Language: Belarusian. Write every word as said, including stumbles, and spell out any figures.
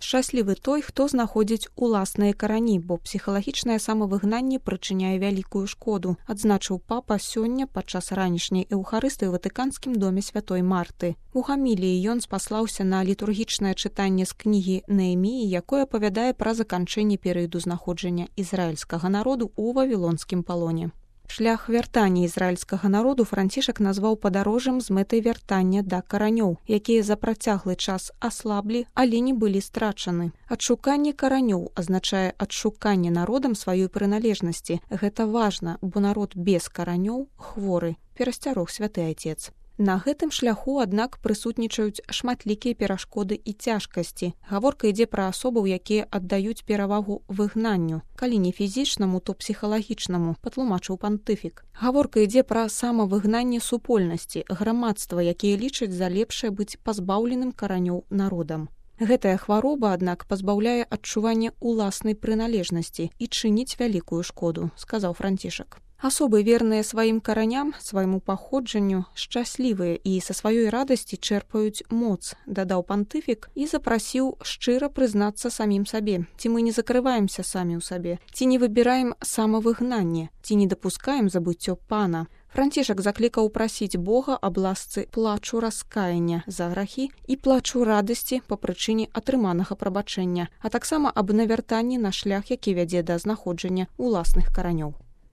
Шчаслівы той, хто знаходзіць уласныя карані, бо псіхалагічнае самавыгнанне прычыняе вялікую шкоду, адзначыў папа сёння падчас ранішняй эўхарыстыі ў ватыканскім доме святой Марты. У гаміліі ён спаслаўся на літургічнае чытанне з кнігі Нееміі, якое апавядае пра заканчэнне перыяду знаходжання ізраільскага народу ў вавілонскім палоне. Шлях вяртання ізраільскага народу Францішак назваў падарожжам з мэтай вяртання да каранёў, якія за працяглы час аслаблі, але не былі страчаны. Адшуканне каранёў азначае адшуканне народам сваёй прыналежнасці. Гэта важна, бо народ без каранёў хворы, перасцярог святы айцец. На гэтым шляху, аднак, прысутнічаюць шматлікія перашкоды і цяжкасці. Гаворка ідзе пра асобаў, якія аддаюць перавагу выгнанню. Калі не фізічнаму, то псіхалагічнаму, патлумачыў пантыфік. Гаворка ідзе пра самавыгнанне супольнасці, грамадства, якія лічаць за лепшае быць пазбаўленым каранёў народам. Гэтая хвароба, аднак, пазбаўляе адчування ўласнай прыналежнасці і чыніць вялікую шкоду, сказаў Францішак. Асобы, верныя сваім караням, свайму паходжанню, шчаслівыя і са сваёй радасці чэрпаюць моц, дадаў пантыфік і запрасіў шчыра прызнацца самім сабе. Ці мы не закрываемся самі ў сабе, ці не выбіраем самавыгнанне, ці не дапускаем забыццё пана. Францішак заклікаў прасіць Бога аб ласцы плачу раскаяння за грахі і плачу радасці па прычыне атрыманага прабачэння, а таксама аб навяртанні на шлях, які вядзе да знаходжання ўласных каранёў.